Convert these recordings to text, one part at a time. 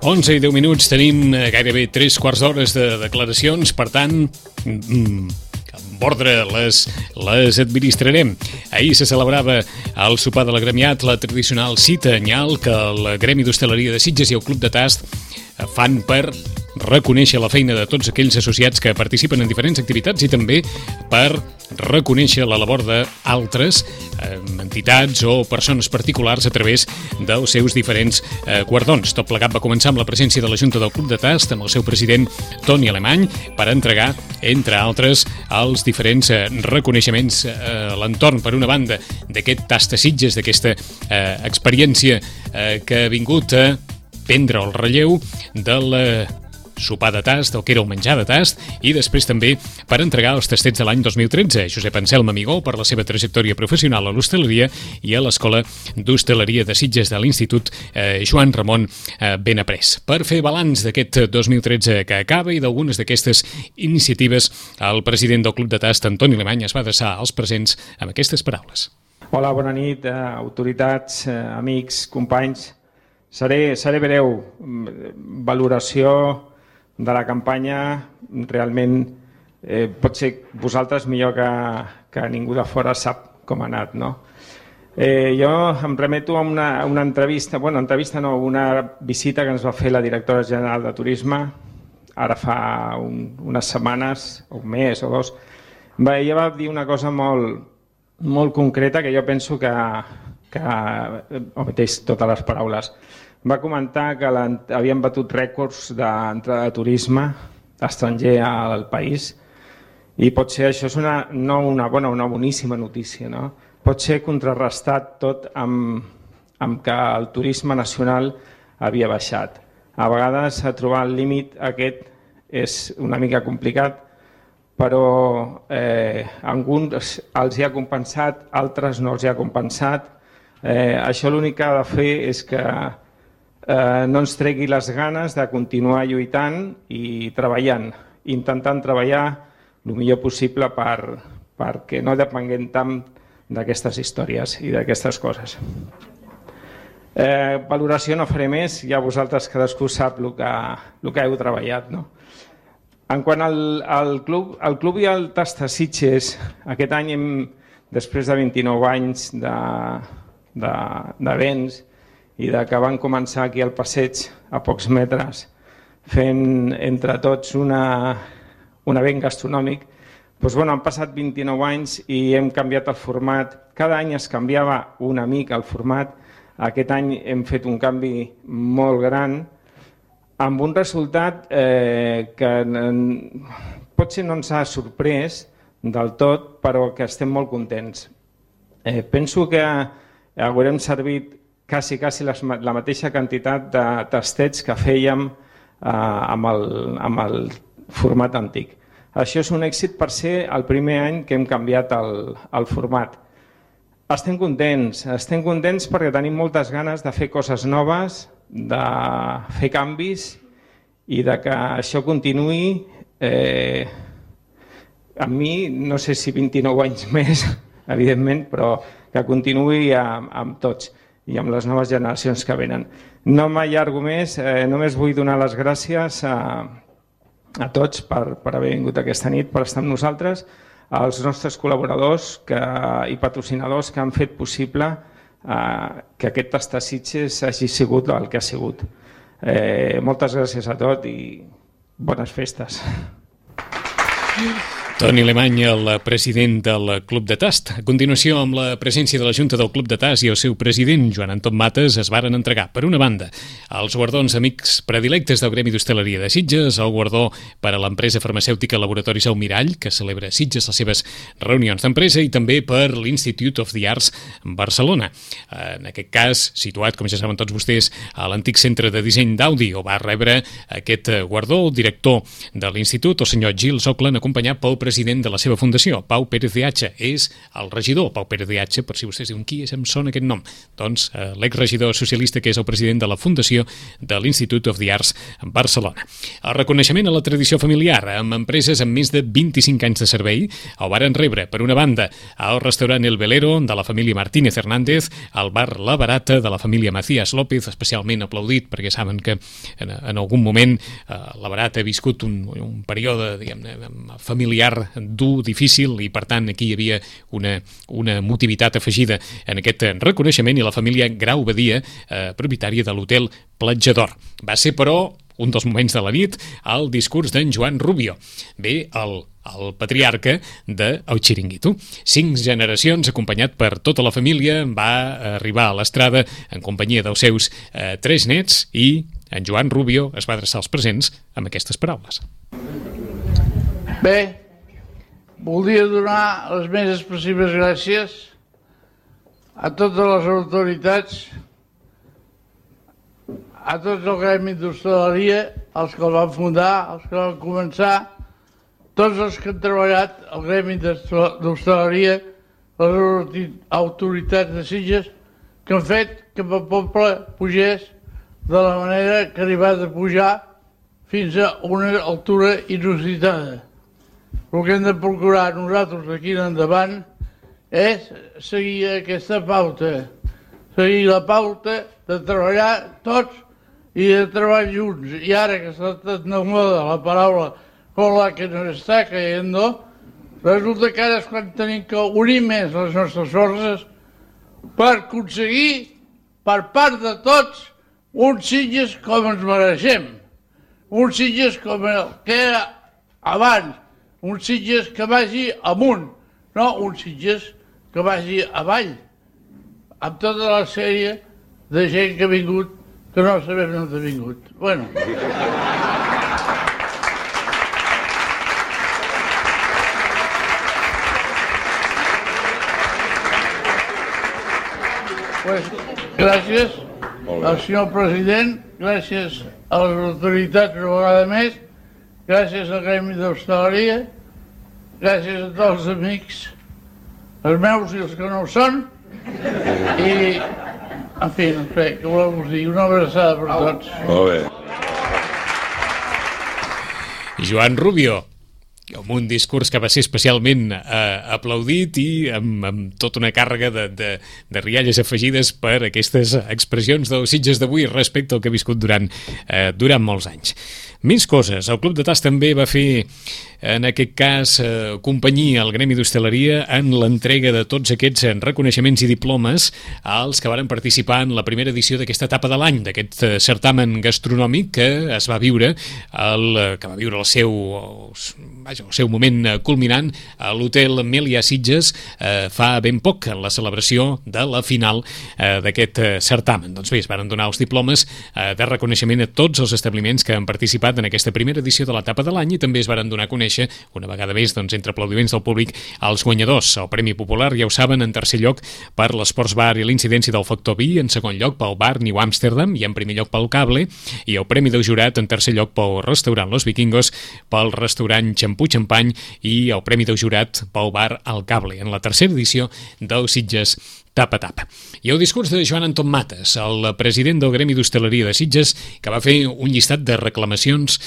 11:10, tenim gairebé 3 quarts d'hores de declaracions, per tant, amb ordre les administrarem. Ahir se celebrava al sopar de l'agremiat la tradicional cita anyal que el Gremi d'Hostaleria de Sitges i el Club de Tast fan per reconèixer la feina de tots aquells associats que participen en diferents activitats i també per reconèixer la labor d'altres entitats o persones particulars a través dels seus diferents guardons. Tot plegat va començar amb la presència de la Junta del Club de Tast, amb el seu president Toni Alemany, per entregar, entre altres, els diferents reconeixements a l'entorn, per una banda, d'aquest Tast a Sitges, d'aquesta experiència que ha vingut a prendre el relleu del sopar de tast, el que era el menjar de tast, i després també per entregar els tastets de l'any 2013. Josep Anselm Amigó, per la seva trajectòria professional a l'hostaleria i a l'Escola d'Hostaleria de Sitges de l'Institut Joan Ramon Benaprés. Per fer balanç d'aquest 2013 que acaba i d'algunes d'aquestes iniciatives, el president del Club de Tast, Toni Alemany, es va adreçar als presents amb aquestes paraules. Hola, bona nit, autoritats, amics, companys. Seré breu. Valoració de la campanya, realment potser vosaltres millor que ningú de fora sap com ha anat, no? Jo em remeto a una entrevista, una visita que ens va fer la directora general de Turisme ara fa unes setmanes, un mes o dos. Ella va dir una cosa molt concreta que jo penso que ometeix totes les paraules. Va comentar que havien batut rècords d'entrada de turisme estranger al país i potser això és no una bona, una boníssima notícia, no? Pot ser contrarrestat tot amb que el turisme nacional havia baixat. A vegades trobar el límit aquest és una mica complicat, però alguns els hi ha compensat, altres no els hi ha compensat. Això l'únic que ha de fer és que no ens tregui les ganes de continuar lluitant i treballant, intentant treballar el millor possible perquè no depenguem tant d'aquestes històries i d'aquestes coses. Valoració no faré més, ja vosaltres cadascú sap el que heu treballat, no? En quant al club i al Tast a Sitges, aquest any després de 29 anys d'events i que van començar aquí al passeig a pocs metres fent entre tots un event gastronòmic, han passat 29 anys i hem canviat el format. Cada any es canviava una mica el format. Aquest any hem fet un canvi molt gran amb un resultat que potser no ens ha sorprès del tot, però que estem molt contents. Penso que haurem servit quasi la mateixa quantitat de tastets que fèiem amb el format antic. Això és un èxit per ser el primer any que hem canviat el format. Estem contents perquè tenim moltes ganes de fer coses noves, de fer canvis i de que això continuï. A mi, no sé si 29 anys més, evidentment, però que continuï amb tots i amb les noves generacions que venen. No m'allargo més, només vull donar les gràcies a tots per haver vingut aquesta nit, per estar amb nosaltres, als nostres col·laboradors i patrocinadors que han fet possible que aquest Tast a Sitges hagi sigut el que ha sigut. Moltes gràcies a tots i bones festes. Toni Alemany, el president del Club de Tast. A continuació, amb la presència de la Junta del Club de Tast i el seu president, Joan Anton Mates, es varen entregar, per una banda, els guardons amics predilectes del Gremi d'Hostaleria de Sitges, el guardó per a l'empresa farmacèutica Laboratoris Almirall, que celebra a Sitges les seves reunions d'empresa, i també per l'Institute of the Arts Barcelona. En aquest cas, situat, com ja saben tots vostès, a l'antic centre de disseny d'Audi, on va rebre aquest guardó el director de l'Institut, el senyor Gil Soclan, acompanyat pel president president de la seva fundació, Pau Pérez de Hacha. És el regidor Pau Pérez de Hacha, per si vostès diuen qui és, em sona aquest nom. Doncs l'exregidor socialista que és el president de la fundació de l'Institute of the Arts en Barcelona. El reconeixement a la tradició familiar amb empreses amb més de 25 anys de servei el varen rebre, per una banda, al restaurant El Velero de la família Martínez Hernández, al bar La Barata de la família Macías López, especialment aplaudit perquè saben que en algun moment La Barata ha viscut un període, diguem-ne, familiar dur, difícil, i per tant aquí hi havia una motivitat afegida en aquest reconeixement, i la família Grau Badia, propietària de l'hotel Platja d'Or. Va ser, però, un dels moments de la nit, el discurs d'en Joan Rubio. Bé, el patriarca del Xiringuito. 5 generacions, acompanyat per tota la família, va arribar a l'estrada en companyia dels seus 3 nets, i en Joan Rubio es va adreçar als presents amb aquestes paraules. Bé, voldria donar les més expressives gràcies a totes les autoritats, a tots el gremi d'hostaleria, els que el van fundar, els que el van començar, tots els que han treballat al gremi d'hostaleria, les autoritats de Sitges, que han fet que el poble pugés de la manera que ha arribat a pujar fins a una altura inusitada. El que hem de procurar nosaltres d'aquí en endavant és seguir aquesta pauta, seguir la pauta de treballar tots i de treballar junts. I ara que s'ha estat de moda la paraula con la que nos està cayendo, resulta que ara és quan tenim que unir més les nostres forces per aconseguir, per part de tots, uns Sitges com ens mereixem, uns Sitges com el que era abans, uns Sitges que vagi amunt, no uns Sitges que vagi avall, amb tota la sèrie de gent que ha vingut, que no sabem on ha vingut. Bueno. Pues, gràcies al senyor president, gràcies a les autoritats una vegada més, gràcies al gremi d'hostaleria, gràcies a tots els amics, els meus i els que no ho són, i, en fi, no sé, què voleu dir, una abraçada per tots. Molt bé. Joan Rubio, amb un discurs que va ser especialment aplaudit i amb tota una càrrega de rialles afegides per aquestes expressions dels Sitges d'avui respecte al que ha viscut durant molts anys. Més coses. El Club de Tas també va fer, en aquest cas, companyia al Gremi d'Hostaleria en l'entrega de tots aquests reconeixements i diplomes als que varen participar en la primera edició d'aquesta etapa de l'any, d'aquest certamen gastronòmic que es va viure, que va viure el seu moment culminant a l'hotel Melià Sitges fa ben poc, en la celebració de la final d'aquest certamen. Doncs bé, es van donar els diplomes de reconeixement a tots els establiments que han participat en aquesta primera edició de l'etapa de l'any, i també es van donar a conèixer, una vegada més, entre aplaudiments del públic, els guanyadors. El Premi Popular, ja ho saben, en tercer lloc per l'Esports Bar i l'incidència del Factor Vi, en segon lloc pel Bar New Amsterdam i en primer lloc pel Cable, i el Premi del Jurat en tercer lloc pel restaurant Los Vikingos, pel restaurant Xampú Xampany i el Premi del Jurat pel Bar El Cable, en la tercera edició del Sitges Tapa Tapa. I el discurs de Joan Anton Matas, el president del Gremi d'Hostaleria de Sitges, que va fer un llistat de reclamacions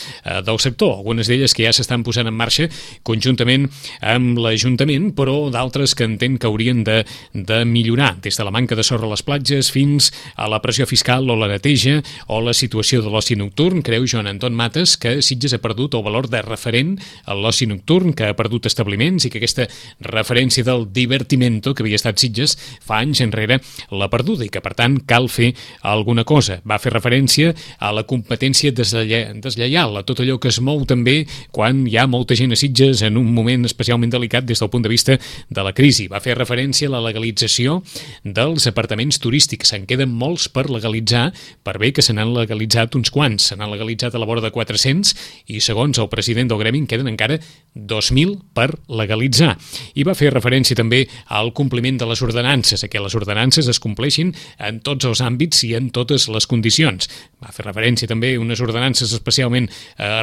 del sector, algunes d'elles que ja s'estan posant en marxa conjuntament amb l'Ajuntament, però d'altres que entén que haurien de millorar, des de la manca de sorra a les platges fins a la pressió fiscal o la neteja o la situació de l'oci nocturn. Creu Joan Anton Matas que Sitges ha perdut el valor de referent a l'oci nocturn, que ha perdut establiments i que aquesta referència del divertimento que havia estat Sitges fa anys enrere l'ha perduda i que, per tant, cal fer alguna cosa. Va fer referència a la competència deslleial, a tot allò que es mou també quan hi ha molta gent a Sitges en un moment especialment delicat des del punt de vista de la crisi. Va fer referència a la legalització dels apartaments turístics. Se'n queden molts per legalitzar, per bé que se n'han legalitzat uns quants. Se n'han legalitzat a la vora de 400 i, segons el president del gremi, en queden encara 2.000 per legalitzar. I va fer referència també al compliment de les ordenances, que les ordenances es compleixin en tots els àmbits i en totes les condicions. Va fer referència també a unes ordenances especialment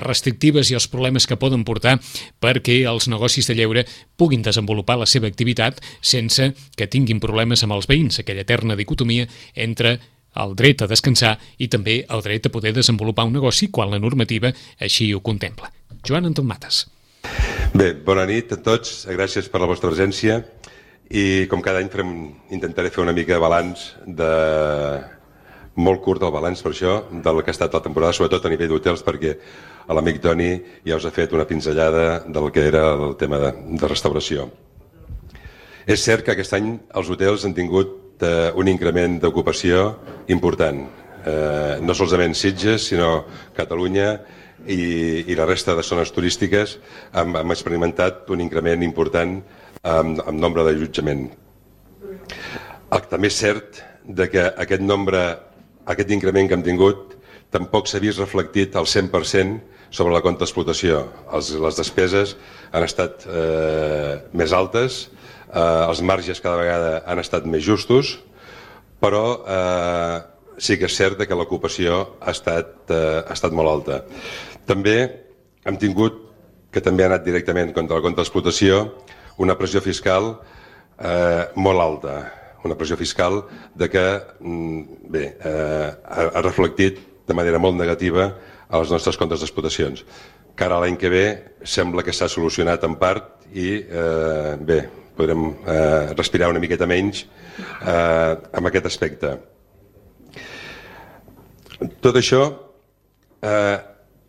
restrictives i els problemes que poden portar perquè els negocis de lleure puguin desenvolupar la seva activitat sense que tinguin problemes amb els veïns, aquella eterna dicotomia entre el dret a descansar i també el dret a poder desenvolupar un negoci quan la normativa així ho contempla. Joan Anton Matas. Bé, bona nit a tots, gràcies per la vostra presència i com cada any intentaré fer una mica de balanç molt curt el balanç per això del que ha estat la temporada, sobretot a nivell d'hotels, perquè l'amic Toni ja us ha fet una pinzellada del que era el tema de restauració. És cert que aquest any els hotels han tingut un increment d'ocupació important, no solament Sitges, sinó Catalunya i la resta de zones turístiques hem experimentat un increment important en nombre d'allotjament. També és cert que aquest increment que hem tingut tampoc s'ha vist reflectit al 100% sobre la compta d'explotació. Les despeses han estat més altes, els marges cada vegada han estat més justos, però sí que és cert que l'ocupació ha estat molt alta. També hem tingut, que també ha anat directament contra la compta d'explotació, una pressió fiscal molt alta, una pressió fiscal que ha reflectit de manera molt negativa a les nostres comptes d'explotacions. Cara a l'any que ve sembla que s'ha solucionat en part i podrem respirar una miqueta menys amb aquest aspecte. Tot això,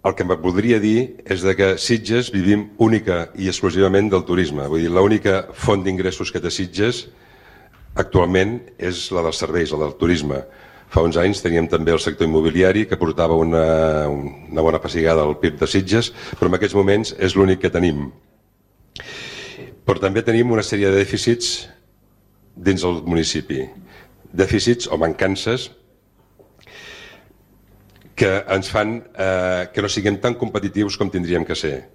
el que em voldria dir és que Sitges vivim única i exclusivament del turisme. Vull dir, l'única font d'ingressos que té Sitges actualment és la dels serveis, la del turisme. Fa uns anys teníem també el sector immobiliari que portava una bona pessigada al PIB de Sitges, però en aquests moments és l'únic que tenim. Però també tenim una sèrie de dèficits dins el municipi. Dèficits o mancances que ens fan que no siguem tan competitius com tindríem que ser.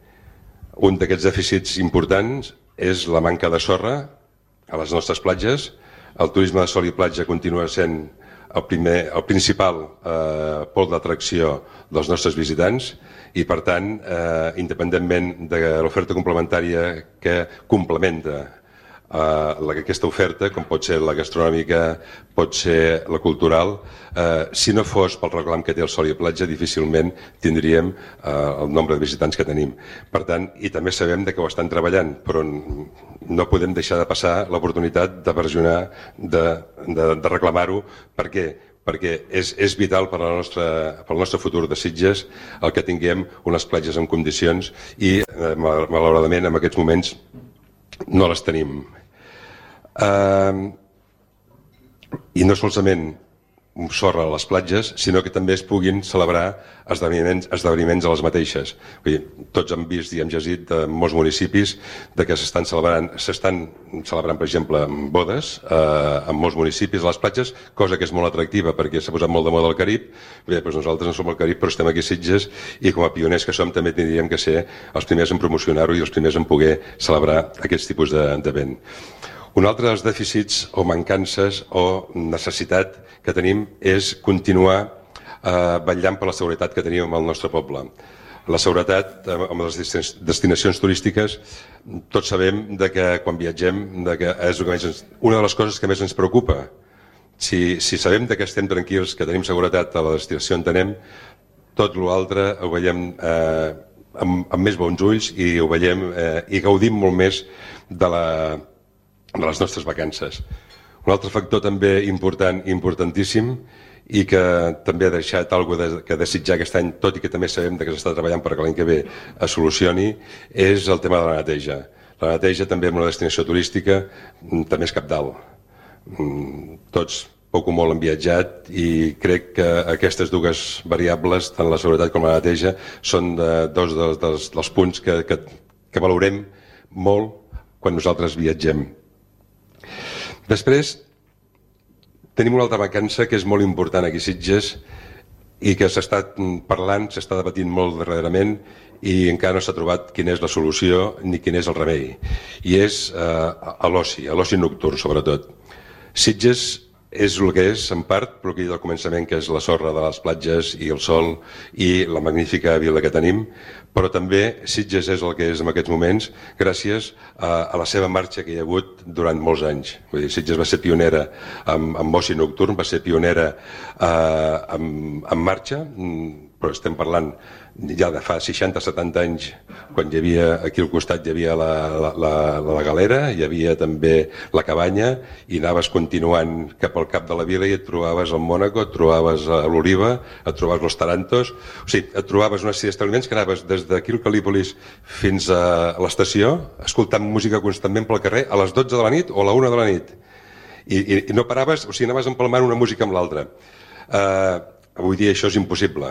Un d'aquests dèficits importants és la manca de sorra a les nostres platges. El turisme de sol i platja continua sent el principal pol d'atracció dels nostres visitants i, per tant, independentment de l'oferta complementària que complementa aquesta oferta, com pot ser la gastronòmica, pot ser la cultural, si no fos pel reclam que té el sol i platja, difícilment tindríem el nombre de visitants que tenim. Per tant, i també sabem que ho estan treballant, però no podem deixar de passar l'oportunitat de versionar, de reclamar-ho. Per què? Perquè és vital per al nostre futur de Sitges el que tinguem unes platges en condicions i, malauradament, en aquests moments no les tenim. I no solament sorra a les platges, sinó que també es puguin celebrar esdeveniments a les mateixes. Tots hem vist i hem llegit de molts municipis que s'estan celebrant, per exemple, bodes en molts municipis a les platges, cosa que és molt atractiva perquè s'ha posat molt de moda al Carib. Bé, doncs nosaltres no som al Carib, però estem aquí a Sitges i com a pioners que som també tindríem que ser els primers en promocionar-ho i els primers en poder celebrar aquests tipus d'event. Un altre dels dèficits o mancances o necessitat que tenim és continuar vetllant per la seguretat que tenim al nostre poble. La seguretat amb les destinacions turístiques, tots sabem que quan viatgem és una de les coses que més ens preocupa. Si sabem que estem tranquils, que tenim seguretat a la destinació on anem, tot l'altre ho veiem amb més bons ulls i ho veiem i gaudim molt més de les nostres vacances. Un altre factor també importantíssim i que també ha deixat alguna cosa que desitjar aquest any, tot i que també sabem que s'està treballant perquè l'any que ve es solucioni, és el tema de la neteja. La neteja també en una destinació turística també és cabdal. Tots poc o molt han viatjat i crec que aquestes dues variables, tant la seguretat com la neteja, són dos dels punts que valorem molt quan nosaltres viatgem. Després, tenim una altra mancança que és molt important aquí a Sitges i que s'està parlant, s'està debatint molt darrerament i encara no s'ha trobat quina és la solució ni quin és el remei. I és l'oci nocturn, sobretot. Sitges és el que és, en part, però que del començament, que és la sorra de les platges i el sol i la magnífica vila que tenim, però també Sitges és el que és en aquests moments gràcies a la seva marxa que hi ha hagut durant molts anys. Vull dir, Sitges va ser pionera amb oci nocturn, va ser pionera en marxa, però estem parlant ja de fa 60-70 anys, quan hi havia aquí al costat hi havia la galera, hi havia també la cabanya, i anaves continuant cap al cap de la vila i et trobaves el Mònaco, et trobaves l'Oliva, et trobaves los Tarantos, o sigui, et trobaves una sèrie d'establiments que anaves des d'aquí al Cal·lípolis fins a l'estació, escoltant música constantment pel carrer a les 12 de la nit o a la 1 de la nit, i no paraves, o sigui, anaves empalmant una música amb l'altra. Avui dia això és impossible,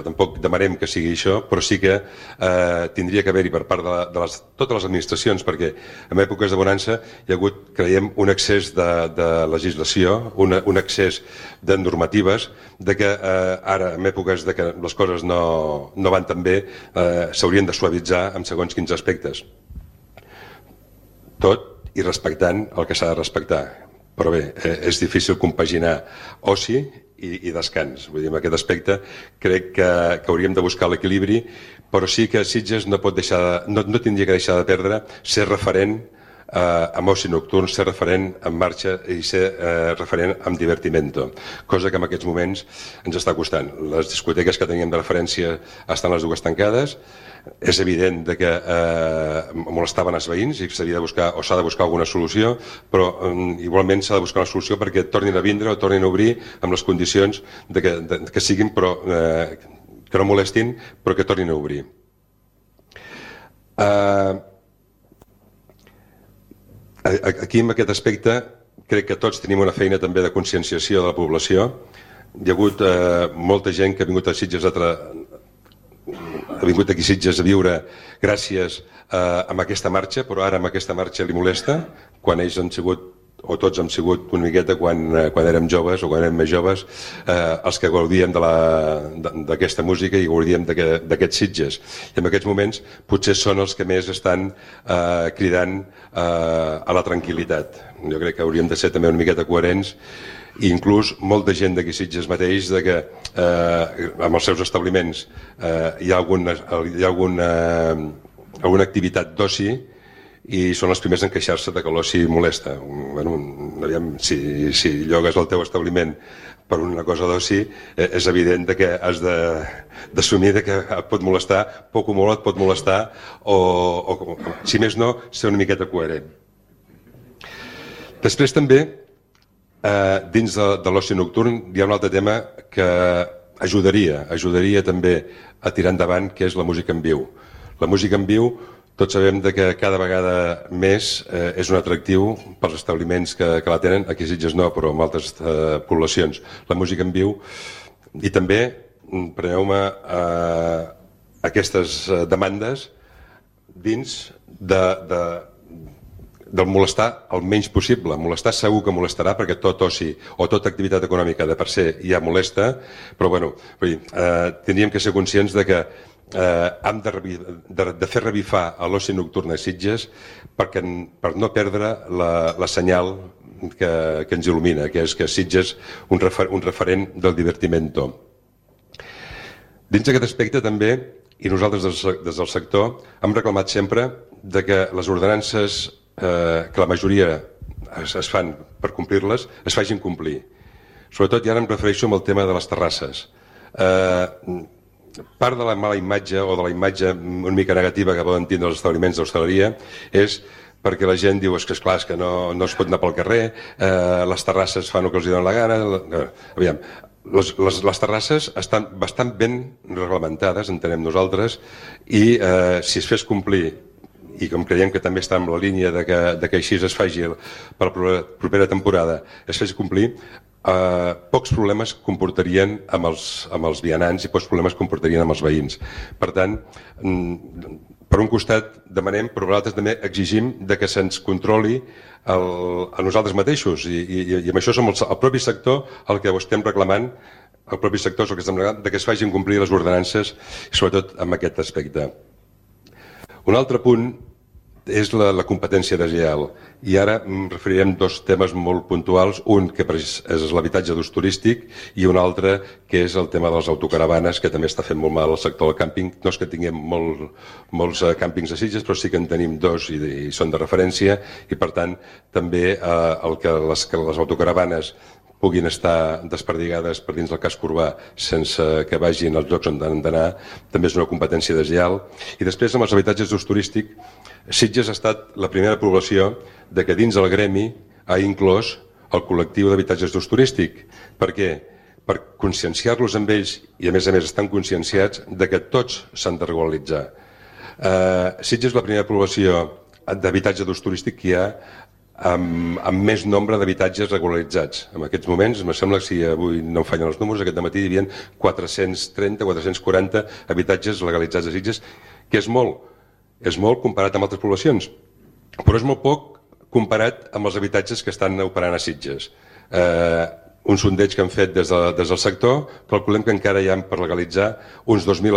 tampoc demanem que sigui això, però sí que tindria que haver-hi per part de totes les administracions, perquè en èpoques de bonança hi ha hagut, creiem, un excés de legislació, un excés de normatives, de que ara, en èpoques de que les coses no van tan bé, s'haurien de suavitzar en segons quins aspectes. Tot i respectant el que s'ha de respectar. Però bé, és difícil compaginar oci i descans. Vull dir, en aquest aspecte crec que hauríem de buscar l'equilibri, però sí que Sitges no tindria que deixar de perdre ser referent amb oci nocturn, ser referent en marxa i ser referent en divertimento, cosa que en aquests moments ens està costant. Les discoteques que teníem de referència estan les dues tancades. És evident que molestaven els veïns i s'ha de buscar alguna solució, però igualment s'ha de buscar una solució perquè tornin a vindre o tornin a obrir amb les condicions que siguin, però que no molestin, però que tornin a obrir. Aquí, en aquest aspecte, crec que tots tenim una feina també de conscienciació de la població. Hi ha hagut molta gent que ha vingut a Sitges ha vingut aquí a Sitges a viure gràcies a aquesta marxa, però ara amb aquesta marxa li molesta, quan ells han sigut, o tots hem sigut una miqueta quan érem joves o quan érem més joves, els que gaudíem d'aquesta música i gaudíem d'aquests Sitges. I en aquests moments potser són els que més estan cridant a la tranquil·litat. Jo crec que hauríem de ser també una miqueta coherents, i inclús molta gent d'aquí Sitges mateix que amb els seus establiments hi ha alguna activitat d'oci i són els primers en queixar-se que l'oci molesta. Si llogues el teu establiment per una cosa d'oci, és evident que has d'assumir que et pot molestar, poc o molt et pot molestar, o si més no, ser una miqueta coherent. Després també, dins de l'oci nocturn, hi ha un altre tema que ajudaria també a tirar endavant, que és la música en viu. La música en viu, tots sabem que cada vegada més és un atractiu pels establiments que la tenen, aquí a Sitges no, però en altres poblacions. La música en viu, i també, preneu-me aquestes demandes dins del molestar el menys possible. Molestar segur que molestarà, perquè tot oci o tota activitat econòmica de per se ja molesta, però bueno, tindríem que ser conscients que hem de fer revifar l'oci nocturn a Sitges per no perdre la senyal que ens il·lumina, que és que Sitges un referent del divertimento. Dins d'aquest aspecte també, i nosaltres des del sector hem reclamat sempre que les ordenances que la majoria es fan per complir-les, es facin complir. Sobretot, i ara em refereixo amb el tema de les terrasses. Part de la mala imatge o de la imatge una mica negativa que poden tindre els establiments d'hostaleria és perquè la gent diu que esclar, que no es pot anar pel carrer, les terrasses fan el que els donen la gana. Aviam, les terrasses estan bastant ben reglamentades, entenem nosaltres, i si es fes complir, i com creiem que també està en la línia que així es faci per la propera temporada, es fes complir, pocs problemes comportarien amb els vianants i pocs problemes comportarien amb els veïns. Per tant, per un costat demanem, però per l'altre també exigim que se'ns controli a nosaltres mateixos, i amb això som el propi sector el que ho estem reclamant, el propi sector és el que estem reclamant, que es facin complir les ordenances, sobretot en aquest aspecte. Un altre punt és la competència deslleial. I ara referirem dos temes molt puntuals, un que és l'habitatge d'ús turístic i un altre que és el tema de les autocaravanes, que també està fent molt mal al sector del càmping. No és que tinguem molts càmpings a Sitges, però sí que en tenim dos i són de referència, i per tant també el que les autocaravanes puguin estar desperdigades per dins del casc urbà sense que vagin als llocs on han d'anar, també és una competència deslleial. I després, amb els habitatges d'ús turístic, Sitges ha estat la primera població de que dins el gremi ha inclòs el col·lectiu d'habitatges d'ús turístic. Per què? Per conscienciar-los amb ells, i a més estan conscienciats de que tots s'han de regularitzar. Sitges és la primera població d'habitatge d'ús turístic que hi ha amb més nombre d'habitatges regularitzats. En aquests moments, em sembla que si avui no em fallen els números, aquest matí hi havia 430, 440 habitatges legalitzats a Sitges, que és molt comparat amb altres poblacions, però és molt poc comparat amb els habitatges que estan operant a Sitges. Un sondeig que han fet des del sector, calculem que encara hi ha per legalitzar uns 2.000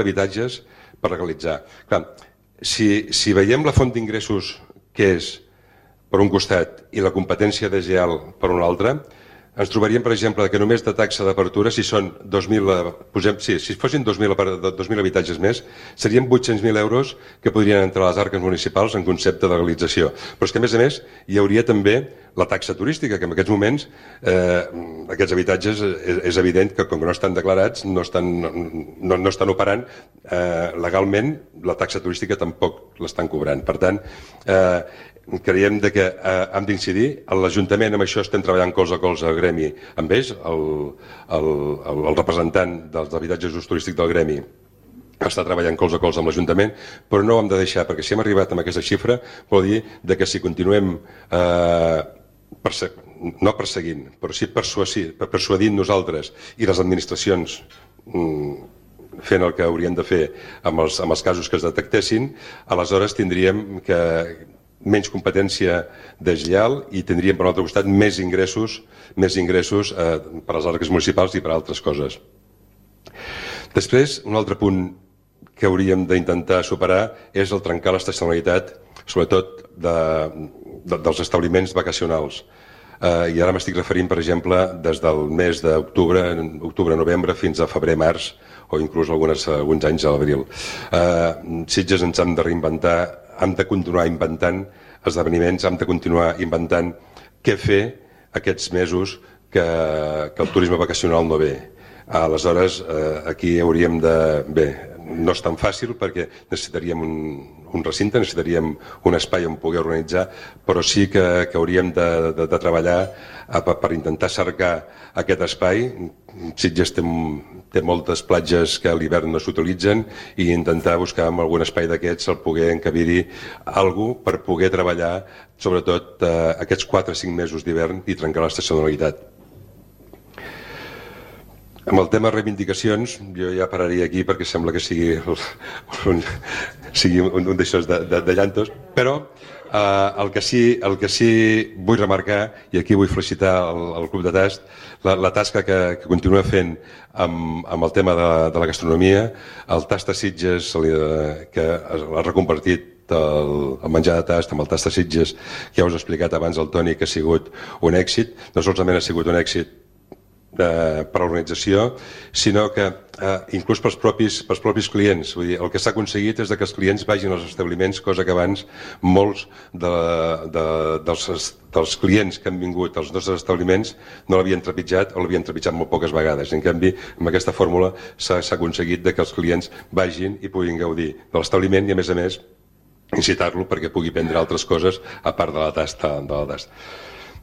habitatges per legalitzar. Clar, si veiem la font d'ingressos que és per un costat i la competència deslleial per un altre, ens trobaríem, per exemple, que només de taxa d'apertura, si fossin 2.000 habitatges més, serien 800.000 euros que podrien entrar a les arques municipals en concepte de legalització. Però és que, a més, hi hauria també la taxa turística, que en aquests moments aquests habitatges és evident que, com que no estan declarats, no estan operant legalment, la taxa turística tampoc l'estan cobrant. Per tant, creiem que hem d'incidir. L'Ajuntament amb això estem treballant colze a colze al gremi amb ells, el representant dels habitatges d'ús turístic del gremi està treballant colze a colze amb l'Ajuntament, però no ho hem de deixar, perquè si hem arribat amb aquesta xifra vol dir que si continuem no perseguint, però sí persuadint nosaltres i les administracions fent el que haurien de fer amb els casos que es detectessin, aleshores tindríem menys competència deslleial i tindríem, per l'altre costat, més ingressos per a les arques municipals i per a altres coses. Després, un altre punt que hauríem d'intentar superar és el trencar l'estacionalitat, sobretot dels establiments vacacionals. I ara m'estic referint, per exemple, des del mes d'octubre-novembre fins a febrer-març, o inclús alguns anys a l'abril. Sitges ens hem de reinventar, hem de continuar inventant esdeveniments, hem de continuar inventant què fer aquests mesos que el turisme vacacional no ve. Aleshores, aquí hauríem de... Bé, no és tan fàcil perquè necessitaríem un recinte, necessitaríem un espai on poder organitzar, però sí que hauríem de treballar per intentar cercar aquest espai. Sitges té moltes platges que a l'hivern no s'utilitzen i intentar buscar en algun espai d'aquests el poder encabir-hi alguna cosa per poder treballar sobretot aquests 4 o 5 mesos d'hivern i trencar l'estacionalitat. Amb el tema reivindicacions, jo ja pararia aquí perquè sembla que sigui un d'aixòs de llantos, però el que sí vull remarcar, i aquí vull felicitar el Club de Tast, la tasca que continua fent amb el tema de la gastronomia, el Tast de Sitges, que ha reconvertit el menjar de tast amb el Tast de Sitges, que ja us he explicat abans el Toni, que ha sigut un èxit. No solament ha sigut un èxit per a l'organització, sinó que inclús pels propis clients. Vull dir, el que s'ha aconseguit és que els clients vagin als establiments, cosa que abans molts dels clients que han vingut als nostres establiments no l'havien trepitjat o l'havien trepitjat molt poques vegades. En canvi, amb aquesta fórmula s'ha aconseguit que els clients vagin i puguin gaudir de l'establiment i, a més, incitar-lo perquè pugui prendre altres coses a part de la tasta.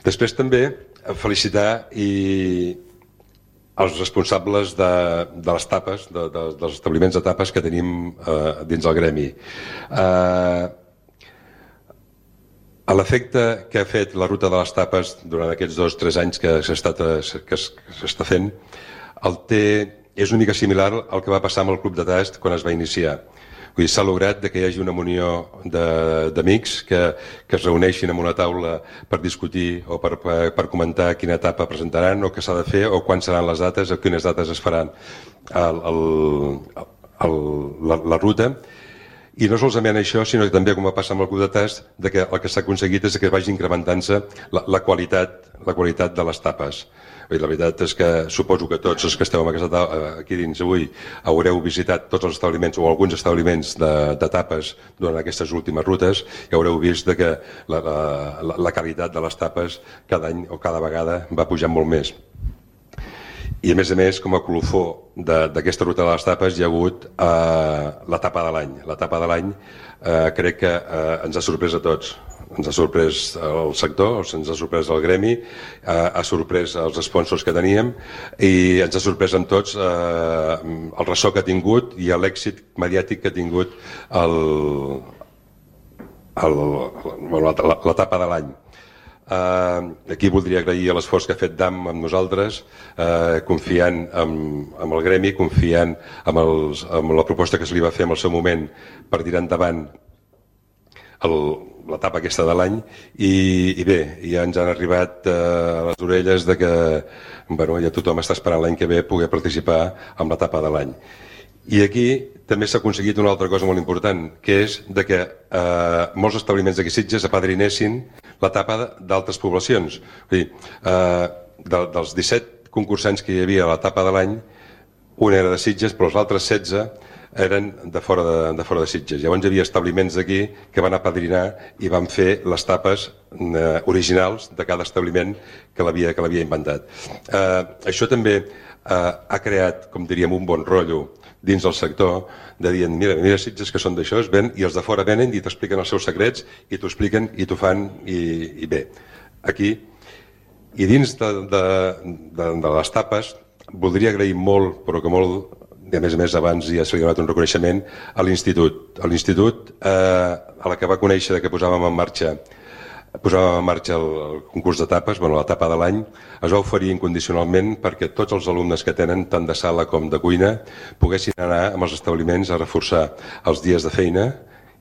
Després també felicitar els responsables de les tapes, dels establiments de tapes que tenim dins el gremi. A l'efecte que ha fet la ruta de les tapes durant aquests 2 o 3 anys que s'està fent, és una mica similar al que va passar amb el Club de Tast quan es va iniciar. S'ha lograt que hi hagi una munió d'amics que es reuneixin en una taula per discutir o per comentar quina etapa presentaran o què s'ha de fer o quan seran les dates o quines dates es faran la ruta. I no solament això, sinó que també, com va passar amb el Club de Tast, que el que s'ha aconseguit és que vagi incrementant-se la qualitat de les tapes. La veritat és que suposo que tots els que esteu aquí dins avui haureu visitat tots els establiments o alguns establiments de tapes durant aquestes últimes rutes i haureu vist que la qualitat de les tapes cada any o cada vegada va pujant molt més. I a més, com a colofó d'aquesta ruta de les tapes hi ha hagut la tapa de l'any. La tapa de l'any crec que ens ha sorprès a tots. Ens ha sorprès el sector, ens ha sorprès el gremi, ha sorprès els sponsors que teníem i ens ha sorprès amb tots el ressò que ha tingut i l'èxit mediàtic que ha tingut la tapa de l'any. Aquí voldria agrair l'esforç que ha fet DAM amb nosaltres, confiant en el gremi, confiant en la proposta que se li va fer en el seu moment per tirar endavant l'etapa aquesta de l'any i bé, ja ens han arribat a les orelles que ja tothom està esperant l'any que ve poder participar en l'etapa de l'any. I aquí també s'ha aconseguit una altra cosa molt important, que és que molts establiments d'aquí Sitges apadrinessin l'etapa d'altres poblacions. Vull dir, dels 17 concursants que hi havia a l'etapa de l'any, un era de Sitges, però els altres 16 eren de fora de Sitges. Llavors hi havia establiments d'aquí que van apadrinar i van fer les tapes originals de cada establiment que l'havia inventat. Això també ha creat, com diríem, un bon rotllo dins del sector, de dir, mira Sitges que són d'això, i els de fora venen i t'expliquen els seus secrets i t'ho expliquen i t'ho fan i bé. Aquí, i dins de les tapes, voldria agrair molt, però que molt, i a més abans ja se li ha donat un reconeixement a l'Institut. A l'Institut, a la que va conèixer que posàvem en marxa el concurs de tapes, la tapa de l'any, es va oferir incondicionalment perquè tots els alumnes que tenen, tant de sala com de cuina, poguessin anar amb els establiments a reforçar els dies de feina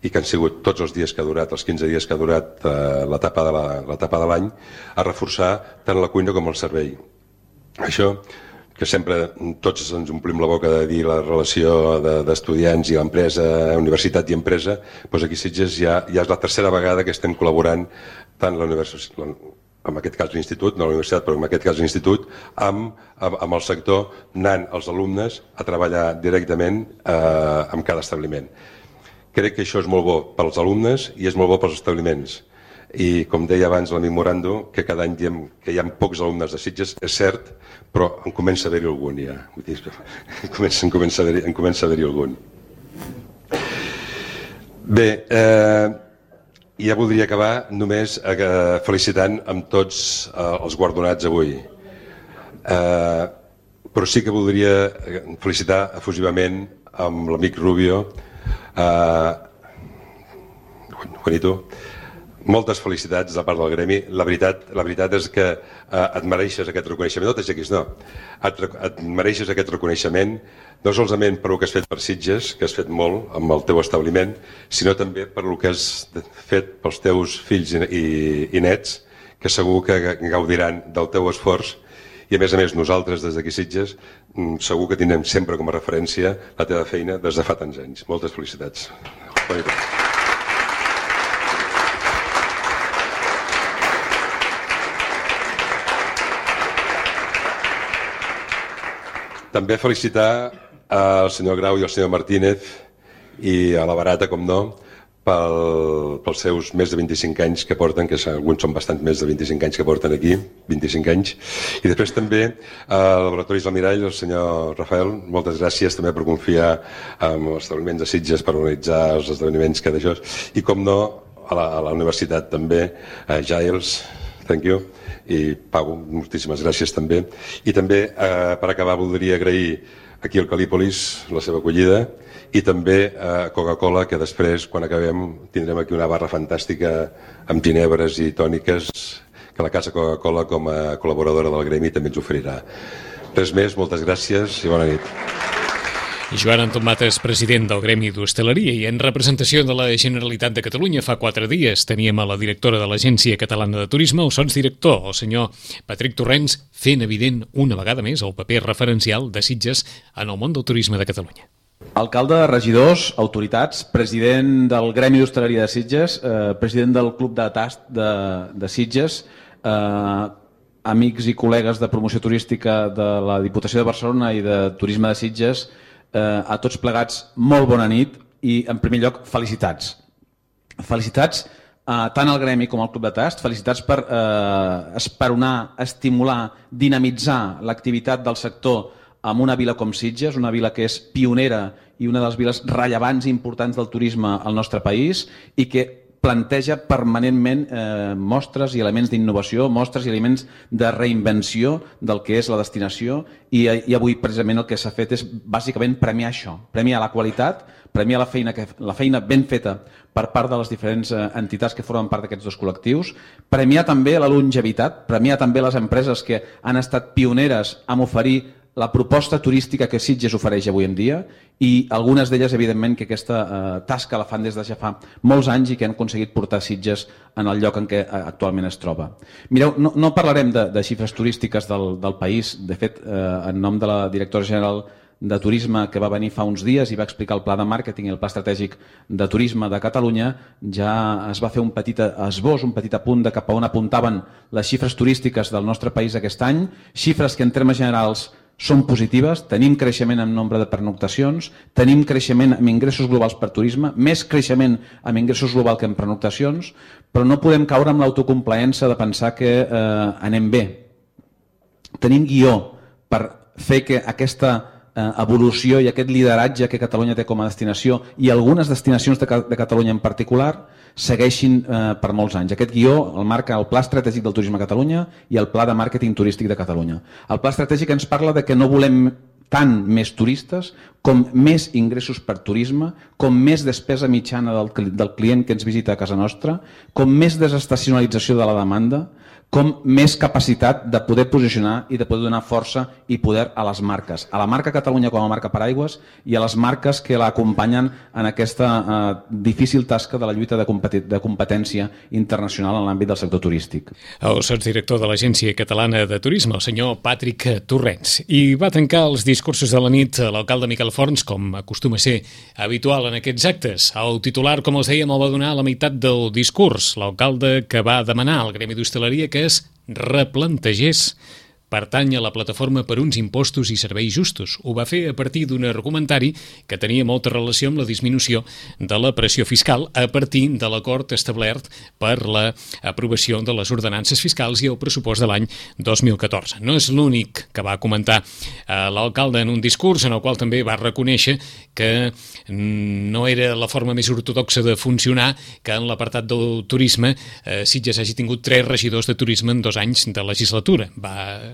i que han sigut tots els dies que ha durat, els 15 dies que ha durat la tapa de l'any, a reforçar tant la cuina com el servei. Això que sempre tots ens omplim la boca de dir la relació d'estudiants i l'empresa, universitat i empresa, doncs aquí a Sitges ja és la tercera vegada que estem col·laborant tant la universitat, en aquest cas l'institut, no la universitat, però en aquest cas l'institut, amb el sector, anant els alumnes a treballar directament amb cada establiment. Crec que això és molt bo pels alumnes i és molt bo pels establiments. I com deia abans l'amic Morando, que cada any diem que hi ha pocs alumnes de Sitges, és cert, però en comença a haver-hi algun ja. En comença a haver-hi algun. Bé, ja voldria acabar només felicitant amb tots els guardonats avui. Però sí que voldria felicitar efusivament amb l'amic Rubio, Juanito. Moltes felicitats de part del gremi. La veritat és que et mereixes aquest reconeixement. No t'aixequis, no. Et mereixes aquest reconeixement no solament per el que has fet per Sitges, que has fet molt amb el teu establiment, sinó també per el que has fet pels teus fills i nets, que segur que gaudiran del teu esforç. I a més nosaltres des d'aquí Sitges segur que tindrem sempre com a referència la teva feina des de fa tants anys. Moltes felicitats. També felicitar al senyor Grau i al senyor Martínez i a la Barata, com no, pels seus més de 25 anys que porten, que alguns són bastant més de 25 anys que porten aquí, 25 anys. I després també al Laboratoris Almirall, el senyor Rafael, moltes gràcies també per confiar en els establiments de Sitges per organitzar els esdeveniments que d'això. I com no, a la universitat també, Giles, thank you. I Pau, moltíssimes gràcies també. I també, per acabar, voldria agrair aquí al Calípolis la seva acollida i també a Coca-Cola, que després, quan acabem, tindrem aquí una barra fantàstica amb ginebres i tòniques que la Casa Coca-Cola, com a col·laboradora del gremi, també ens oferirà. Res més, moltes gràcies i bona nit. I Joan Anton Mates, president del Gremi d'Hostaleria, i en representació de la Generalitat de Catalunya fa 4 dies teníem a la directora de l'Agència Catalana de Turisme, o sotsdirector, el senyor Patrick Torrents, fent evident una vegada més el paper referencial de Sitges en el món del turisme de Catalunya. Alcalde, regidors, autoritats, president del Gremi d'Hostaleria de Sitges, president del Club de Tast de Sitges, amics i col·legues de promoció turística de la Diputació de Barcelona i de Turisme de Sitges, a tots plegats, molt bona nit i, en primer lloc, felicitats. Felicitats tant al Gremi com al Club de Tast, felicitats per esperonar, estimular, dinamitzar l'activitat del sector en una vila com Sitges, una vila que és pionera i una de les viles rellevants i importants del turisme al nostre país i que planteja permanentment mostres i elements d'innovació, mostres i elements de reinvenció del que és la destinació i avui precisament el que s'ha fet és bàsicament premiar això, premiar la qualitat, premiar la feina ben feta per part de les diferents entitats que formen part d'aquests dos col·lectius, premiar també la longevitat, premiar també les empreses que han estat pioneres en oferir la proposta turística que Sitges ofereix avui en dia i algunes d'elles, evidentment, que aquesta tasca la fan des de ja fa molts anys i que han aconseguit portar Sitges en el lloc en què actualment es troba. Mireu, no parlarem de xifres turístiques del país. De fet, en nom de la directora general de Turisme que va venir fa uns dies i va explicar el pla de màrqueting i el pla estratègic de turisme de Catalunya, ja es va fer un petit esbós, un petit apunt de cap a on apuntaven les xifres turístiques del nostre país aquest any, xifres que en termes generals són positives, tenim creixement en nombre de pernoctacions, tenim creixement en ingressos globals per turisme, més creixement en ingressos globals que en pernoctacions, però no podem caure en l'autocomplaença de pensar que anem bé. Tenim guió per fer que aquesta evolució i aquest lideratge que Catalunya té com a destinació i algunes destinacions de Catalunya en particular segueixin per molts anys. Aquest guió el marca el Pla Estratègic del Turisme a Catalunya i el Pla de Màrqueting Turístic de Catalunya. El Pla Estratègic ens parla de que no volem tant més turistes com més ingressos per turisme, com més despesa mitjana del client que ens visita a casa nostra, com més desestacionalització de la demanda, com més capacitat de poder posicionar i de poder donar força i poder a les marques. A la marca Catalunya com a marca paraigües i a les marques que l'acompanyen en aquesta difícil tasca de la lluita de competència internacional en l'àmbit del sector turístic. El sotsdirector de l'Agència Catalana de Turisme, el senyor Patrick Torrents. I va tancar els discursos de la nit l'alcalde Miquel Forns, com acostuma a ser habitual en aquests actes. El titular, com els dèiem, el va donar a la meitat del discurs. L'alcalde que va demanar al Gremi d'Hostaleria que es replantegés pertany a la plataforma per uns impostos i serveis justos. Ho va fer a partir d'un argumentari que tenia molta relació amb la disminució de la pressió fiscal a partir de l'acord establert per l'aprovació de les ordenances fiscals i el pressupost de l'any 2014. No és l'únic que va comentar l'alcalde en un discurs en el qual també va reconèixer que no era la forma més ortodoxa de funcionar que en l'apartat del turisme Sitges hagi tingut 3 regidors de turisme en 2 anys de legislatura.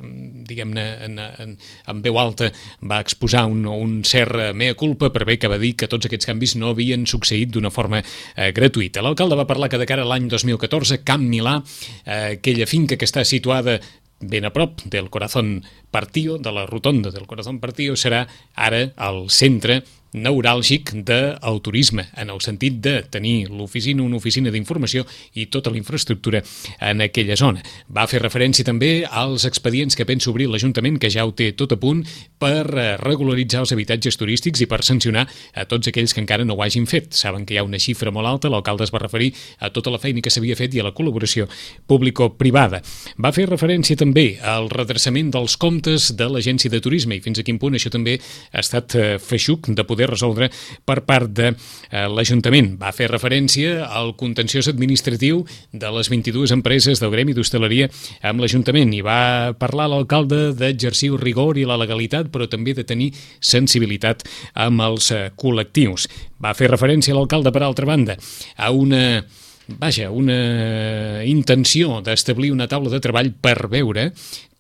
Diguem-ne, en veu alta va exposar un cert mea culpa per bé que va dir que tots aquests canvis no havien succeït d'una forma gratuïta. L'alcalde va parlar que de cara a l'any 2014 Camp Milà, aquella finca que està situada ben a prop del Corazón Partido, de la rotonda del Corazón Partido, serà ara el centre neuràlgic del turisme, en el sentit de tenir una oficina d'informació i tota la infraestructura en aquella zona. Va fer referència també als expedients que pensa obrir l'Ajuntament, que ja ho té tot a punt, per regularitzar els habitatges turístics i per sancionar a tots aquells que encara no ho hagin fet. Saben que hi ha una xifra molt alta, l'alcalde es va referir a tota la feina que s'havia fet i a la col·laboració público-privada. Va fer referència també al redreçament dels comptes de l'Agència de Turisme i fins a quin punt això també ha estat feixuc de poder resoldre per part de l'Ajuntament. Va fer referència al contenciós administratiu de les 22 empreses del Gremi d'Hostaleria amb l'Ajuntament i va parlar l'alcalde d'exercir el rigor i la legalitat, però també de tenir sensibilitat amb els col·lectius. Va fer referència l'alcalde, per altra banda, a una intenció d'establir una taula de treball per veure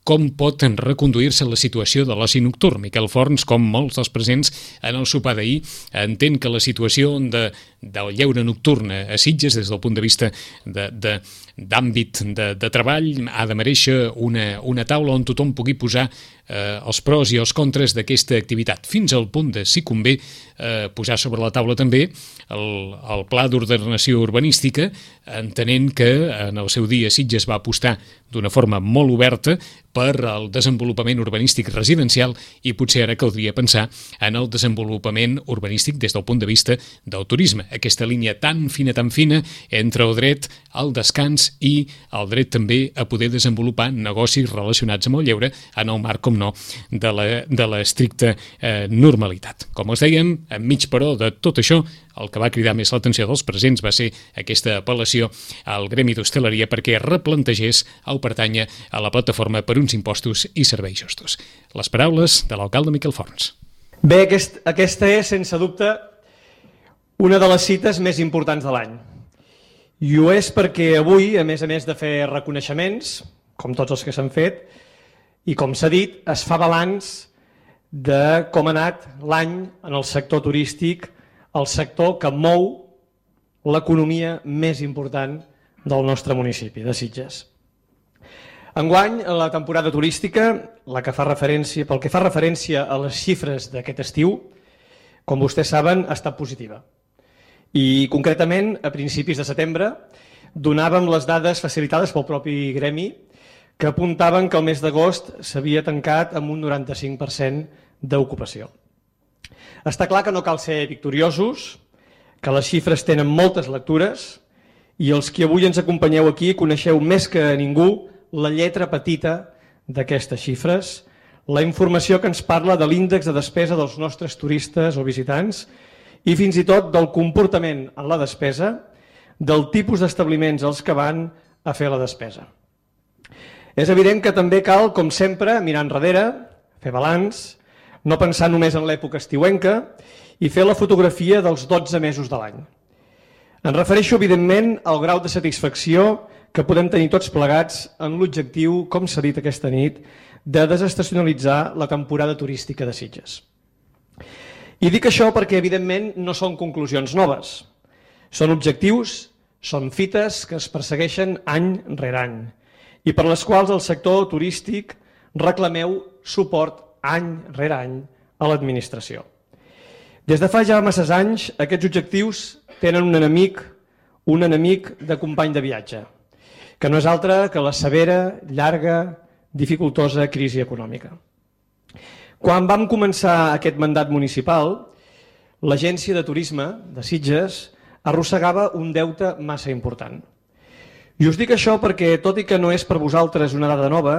com pot reconduir-se la situació de l'oci nocturn. Miquel Forns, com molts dels presents en el sopar d'ahir, entén que la situació del lleure nocturn a Sitges, des del punt de vista d'àmbit de treball, ha de mereixer una taula on tothom pugui posar els pros i els contres d'aquesta activitat, fins al punt de, si convé, posar sobre la taula també el pla d'ordenació urbanística, entenent que en el seu dia Sitges va apostar d'una forma molt oberta per al desenvolupament urbanístic residencial i potser ara caldria pensar en el desenvolupament urbanístic des del punt de vista del turisme. Aquesta línia tan fina entre el dret al descans i el dret també a poder desenvolupar negocis relacionats amb el lleure en el marc, com no, de l'estricta normalitat. Com us dèiem, enmig però de tot això, el que va cridar més l'atenció dels presents va ser aquesta apel·lació al Gremi d'Hostaleria perquè replantegés el pertànyer a la plataforma per uns impostos i serveis justos. Les paraules de l'alcalde Miquel Forns. Bé, aquesta és, sense dubte, una de les cites més importants de l'any. I ho és perquè avui, a més de fer reconeixements, com tots els que s'han fet, i com s'ha dit, es fa balanç de com ha anat l'any en el sector turístic, el sector que mou l'economia més important del nostre municipi, de Sitges. Enguany, la temporada turística, pel que fa referència a les xifres d'aquest estiu, com vostès saben, ha estat positiva. I concretament, a principis de setembre, donàvem les dades facilitades pel propi gremi que apuntaven que el mes d'agost s'havia tancat amb un 95% d'ocupació. Està clar que no cal ser victoriosos, que les xifres tenen moltes lectures i els que avui ens acompanyeu aquí coneixeu més que ningú la lletra petita d'aquestes xifres, la informació que ens parla de l'índex de despesa dels nostres turistes o visitants i fins i tot del comportament en la despesa, del tipus d'establiments als que van a fer la despesa. És evident que també cal, com sempre, mirar enrere, fer balanç, no pensar només en l'època estiuenca i fer la fotografia dels 12 mesos de l'any. Em refereixo, evidentment, al grau de satisfacció que podem tenir tots plegats en l'objectiu, com s'ha dit aquesta nit, de desestacionalitzar la temporada turística de Sitges. I dic això perquè, evidentment, no són conclusions noves. Són objectius, són fites que es persegueixen any rere any i per les quals el sector turístic reclameu suport any rere any a l'administració. Des de fa ja masses anys, aquests objectius tenen un enemic de company de viatge, que no és altre que la severa, llarga, dificultosa crisi econòmica. Quan vam començar aquest mandat municipal, l'Agència de Turisme de Sitges arrossegava un deute massa important. I us dic això perquè, tot i que no és per vosaltres una dada nova,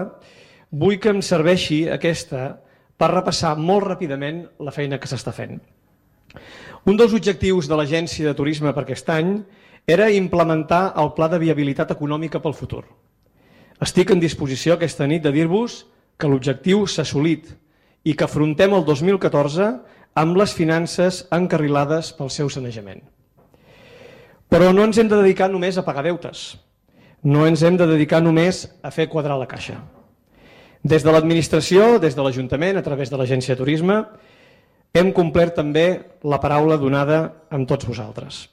vull que em serveixi aquesta per repassar molt ràpidament la feina que s'està fent. Un dels objectius de l'Agència de Turisme per aquest any era implementar el Pla de Viabilitat Econòmica pel futur. Estic en disposició aquesta nit de dir-vos que l'objectiu s'ha assolit i que afrontem el 2014 amb les finances encarrilades pel seu sanejament. Però no ens hem de dedicar només a pagar deutes. No ens hem de dedicar només a fer quadrar la caixa. Des de l'administració, des de l'Ajuntament, a través de l'Agència de Turisme, hem complert també la paraula donada amb tots vosaltres.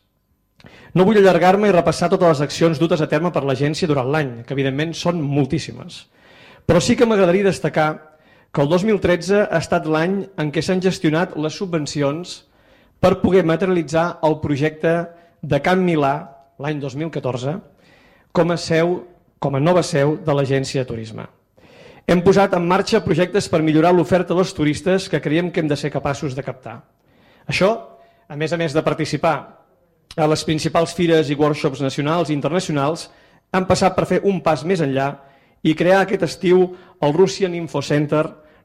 No vull allargar-me i repassar totes les accions dutes a terme per l'agència durant l'any, que evidentment són moltíssimes. Però sí que m'agradaria destacar que el 2013 ha estat l'any en què s'han gestionat les subvencions per poder materialitzar el projecte de Can Milà, l'any 2014, com a nova seu de l'Agència de Turisme. Hem posat en marxa projectes per millorar l'oferta dels turistes que creiem que hem de ser capaços de captar. Això, a més de participar a les principals fires i workshops nacionals i internacionals, han passat per fer un pas més enllà i crear aquest estiu el Russian Info Center,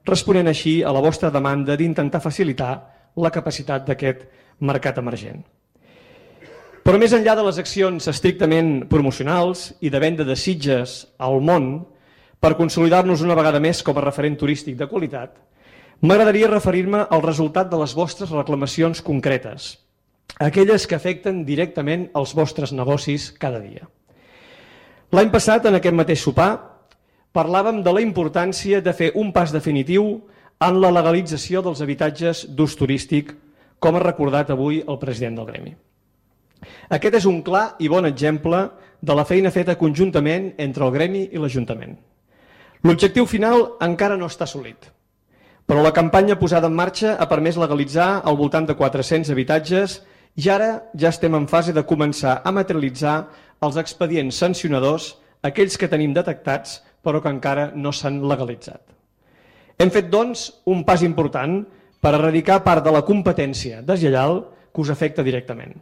responent així a la vostra demanda d'intentar facilitar la capacitat d'aquest mercat emergent. Però més enllà de les accions estrictament promocionals i de venda de Sitges al món, per consolidar-nos una vegada més com a referent turístic de qualitat, m'agradaria referir-me al resultat de les vostres reclamacions concretes, aquelles que afecten directament els vostres negocis cada dia. L'any passat, en aquest mateix sopar, parlàvem de la importància de fer un pas definitiu en la legalització dels habitatges d'ús turístic, com ha recordat avui el president del gremi. Aquest és un clar i bon exemple de la feina feta conjuntament entre el gremi i l'Ajuntament. L'objectiu final encara no està assolit, però la campanya posada en marxa ha permès legalitzar al voltant de 400 habitatges i ara ja estem en fase de començar a materialitzar els expedients sancionadors, aquells que tenim detectats però que encara no s'han legalitzat. Hem fet, doncs, un pas important per erradicar part de la competència deslleial que us afecta directament.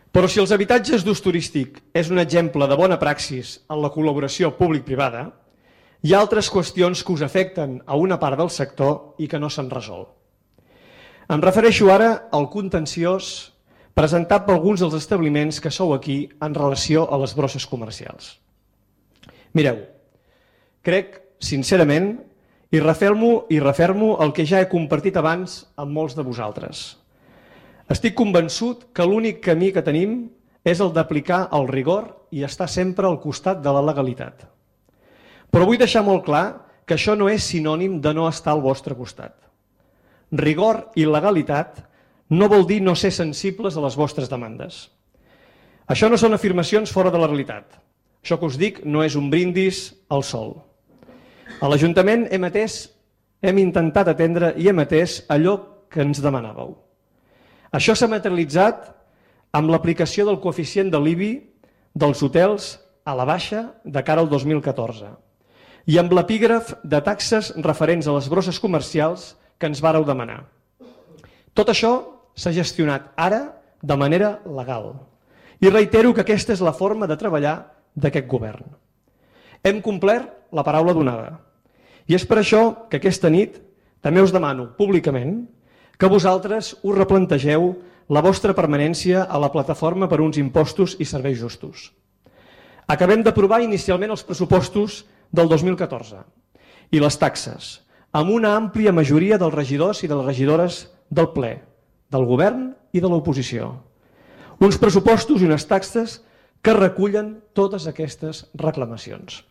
Però si els habitatges d'ús turístic és un exemple de bona praxis en la col·laboració públic-privada, hi ha altres qüestions que us afecten a una part del sector i que no s'han resolt. Em refereixo ara al contenciós presentat per alguns dels establiments que sou aquí en relació a les brosses comercials. Mireu, crec, sincerament, i refermo el que ja he compartit abans amb molts de vosaltres. Estic convençut que l'únic camí que tenim és el d'aplicar el rigor i estar sempre al costat de la legalitat. Però vull deixar molt clar que això no és sinònim de no estar al vostre costat. Rigor i legalitat no vol dir no ser sensibles a les vostres demandes. Això no són afirmacions fora de la realitat. Això que us dic no és un brindis al sol. A l'Ajuntament hem intentat atendre i hem atès allò que ens demanàveu. Això s'ha materialitzat amb l'aplicació del coeficient de l'IBI dels hotels a la baixa de cara al 2014 i amb l'epígraf de taxes referents a les brosses comercials que ens vàreu demanar. Tot això s'ha gestionat ara de manera legal i reitero que aquesta és la forma de treballar d'aquest govern. Hem complert la paraula donada i és per això que aquesta nit també us demano públicament que vosaltres us replantegeu la vostra permanència a la plataforma per uns impostos i serveis justos. Acabem d'aprovar inicialment els pressupostos del 2014 i les taxes amb una àmplia majoria dels regidors i de les regidores del ple, del govern i de l'oposició. Uns pressupostos i unes taxes que recullen totes aquestes reclamacions.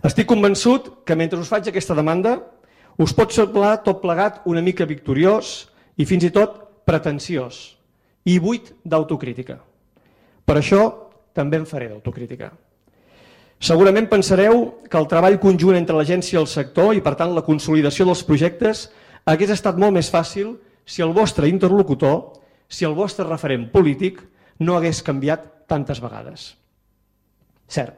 Estic convençut que mentre us faig aquesta demanda us pot semblar tot plegat una mica victoriós i fins i tot pretensiós i buit d'autocrítica. Per això també en faré d'autocrítica. Segurament pensareu que el treball conjunt entre l'agència i el sector i, per tant, la consolidació dels projectes hagués estat molt més fàcil si el vostre interlocutor, si el vostre referent polític no hagués canviat tantes vegades. Cert,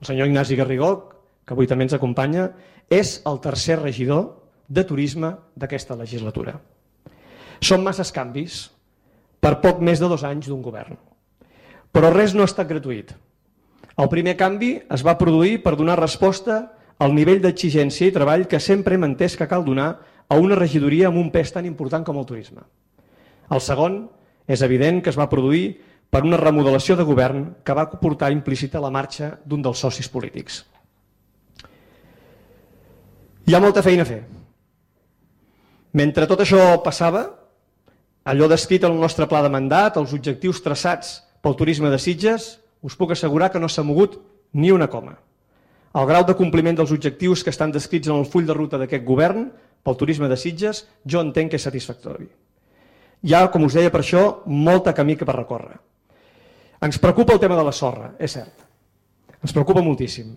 el senyor Ignasi Garrigó, que avui també ens acompanya, és el tercer regidor de turisme d'aquesta legislatura. Són masses canvis per poc més de 2 anys d'un govern. Però res no ha estat gratuït. El primer canvi es va produir per donar resposta al nivell d'exigència i treball que sempre hem entès que cal donar a una regidoria amb un pes tan important com el turisme. El segon és evident que es va produir per una remodelació de govern que va portar implícita la marxa d'un dels socis polítics. Hi ha molta feina a fer. Mentre tot això passava, allò descrit en el nostre pla de mandat, els objectius traçats pel turisme de Sitges, us puc assegurar que no s'ha mogut ni una coma. El grau de compliment dels objectius que estan descrits en el full de ruta d'aquest govern pel turisme de Sitges jo entenc que és satisfactori. Hi ha, com us deia, per això, molta camí per recórrer. Ens preocupa el tema de la sorra, és cert. Ens preocupa moltíssim.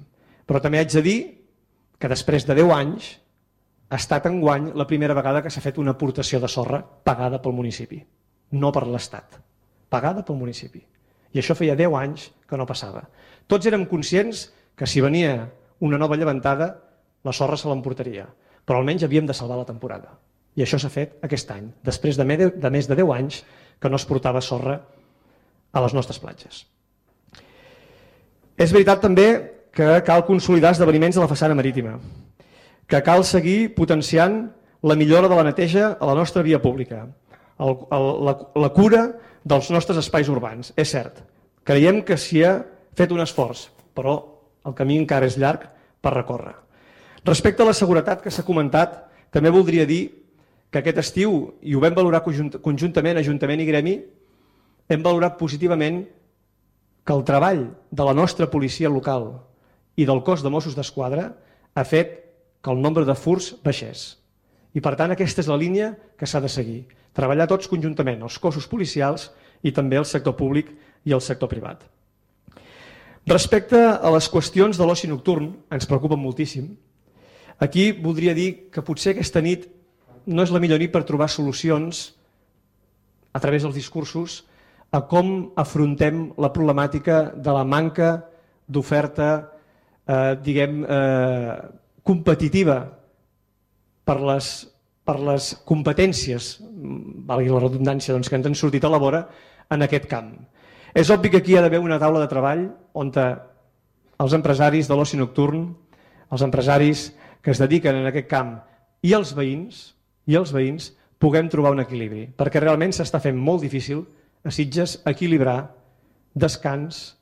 Però també haig de dir que després de 10 anys ha estat enguany la primera vegada que s'ha fet una aportació de sorra pagada pel municipi, no per l'Estat, pagada pel municipi. I això feia 10 anys que no passava. Tots érem conscients que si venia una nova llevantada, la sorra se l'emportaria, però almenys havíem de salvar la temporada. I això s'ha fet aquest any, després de més de 10 anys que no es portava sorra a les nostres platges. És veritat també que cal consolidar esdeveniments a la façana marítima, que cal seguir potenciant la millora de la neteja a la nostra via pública, la cura dels nostres espais urbans. És cert, creiem que s'hi ha fet un esforç, però el camí encara és llarg per recórrer. Respecte a la seguretat que s'ha comentat, també voldria dir que aquest estiu, i ho vam valorar conjuntament, Ajuntament i Gremi, hem valorat positivament que el treball de la nostra policia local i del cos de Mossos d'Esquadra ha fet que el nombre de furts baixés. I per tant aquesta és la línia que s'ha de seguir. Treballar tots conjuntament, els cossos policials i també el sector públic i el sector privat. Respecte a les qüestions de l'oci nocturn, ens preocupen moltíssim. Aquí voldria dir que potser aquesta nit no és la millor nit per trobar solucions a través dels discursos a com afrontem la problemàtica de la manca d'oferta, competitiva per les competències, valgui la redundància, que ens han sortit a la vora en aquest camp. És obvi que aquí hi ha d'haver una taula de treball on els empresaris de l'oci nocturn, els empresaris que es dediquen en aquest camp i els veïns puguem trobar un equilibri, perquè realment s'està fent molt difícil a Sitges equilibrar descans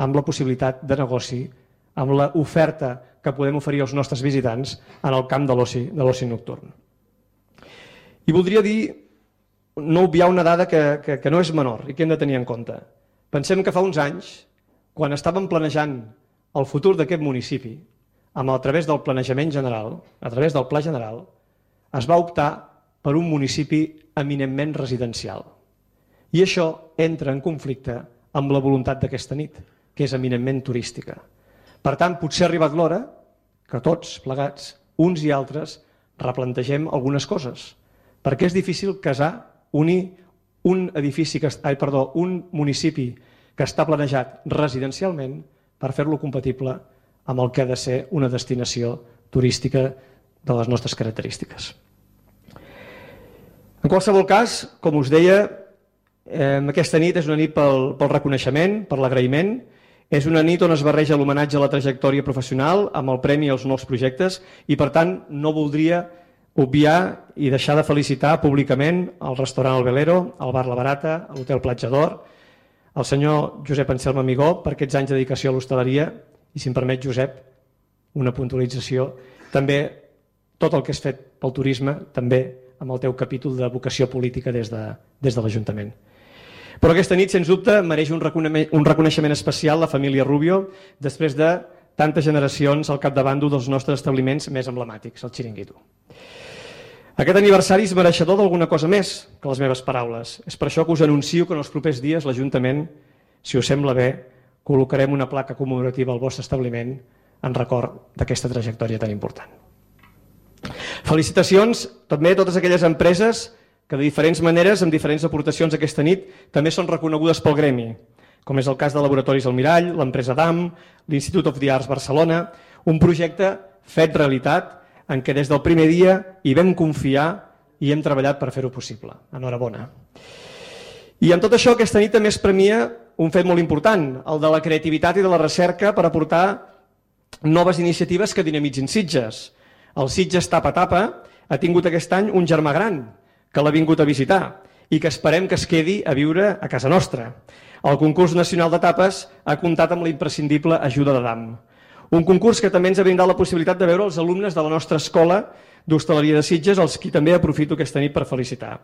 amb la possibilitat de negoci, amb l'oferta que podem oferir als nostres visitants en el camp de l'oci nocturn. I voldria dir, no obviar una dada que no és menor i que hem de tenir en compte. Pensem que fa uns anys, quan estàvem planejant el futur d'aquest municipi, a través del planejament general, a través del pla general, es va optar per un municipi eminentment residencial. I això entra en conflicte amb la voluntat d'aquesta nit, que és eminentment turística. Per tant, potser ha arribat l'hora que tots plegats, uns i altres, replantegem algunes coses, perquè és difícil unir un municipi que està planejat residencialment per fer-lo compatible amb el que ha de ser una destinació turística de les nostres característiques. En qualsevol cas, com us deia, aquesta nit és una nit pel reconeixement, per l'agraïment, és una nit on es barreja l'homenatge a la trajectòria professional amb el premi als nous projectes i, per tant, no voldria obviar i deixar de felicitar públicament el restaurant El Velero, el bar La Barata, l'hotel Platja d'Or, el senyor Josep Anselm Amigó per aquests anys de dedicació a l'hostaleria i, si em permet, Josep, una puntualització, també tot el que has fet pel turisme, també amb el teu capítol de vocació política des de l'Ajuntament. Però aquesta nit, sens dubte, mereix un reconeixement especial la família Rubio després de tantes generacions al capdavant d'un dels nostres establiments més emblemàtics, el Xiringuito. Aquest aniversari és mereixedor d'alguna cosa més que les meves paraules. És per això que us anuncio que en els propers dies l'Ajuntament, si us sembla bé, col·locarem una placa commemorativa al vostre establiment en record d'aquesta trajectòria tan important. Felicitacions també a totes aquelles empreses que de diferents maneres, amb diferents aportacions aquesta nit, també són reconegudes pel gremi, com és el cas de Laboratoris Almirall, l'empresa DAM, l'Institute of the Arts Barcelona, un projecte fet realitat en què des del primer dia hi vam confiar i hem treballat per fer-ho possible. Enhorabona. I amb tot això, aquesta nit també es premia un fet molt important, el de la creativitat i de la recerca per aportar noves iniciatives que dinamitzin Sitges. El Sitges Tapa Tapa ha tingut aquest any un germà gran que l'ha vingut a visitar i que esperem que es quedi a viure a casa nostra. El concurs nacional de tapes ha comptat amb la imprescindible ajuda de DAM. Un concurs que també ens ha brindat la possibilitat de veure els alumnes de la nostra escola d'hostaleria de Sitges, els qui també aprofito aquesta nit per felicitar.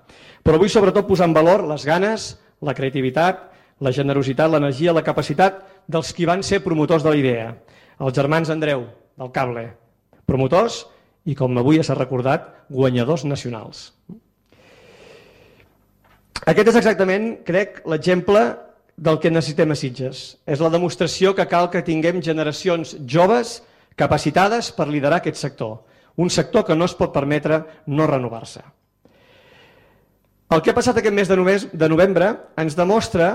Però vull sobretot posar en valor les ganes, la creativitat, la generositat, l'energia, la capacitat dels qui van ser promotors de la idea. Els germans Andreu, del Cable, promotors i, com avui s'ha recordat, guanyadors nacionals. Aquest és exactament, crec, l'exemple del que necessitem a Sitges. És la demostració que cal que tinguem generacions joves capacitades per liderar aquest sector. Un sector que no es pot permetre no renovar-se. El que ha passat aquest mes de novembre ens demostra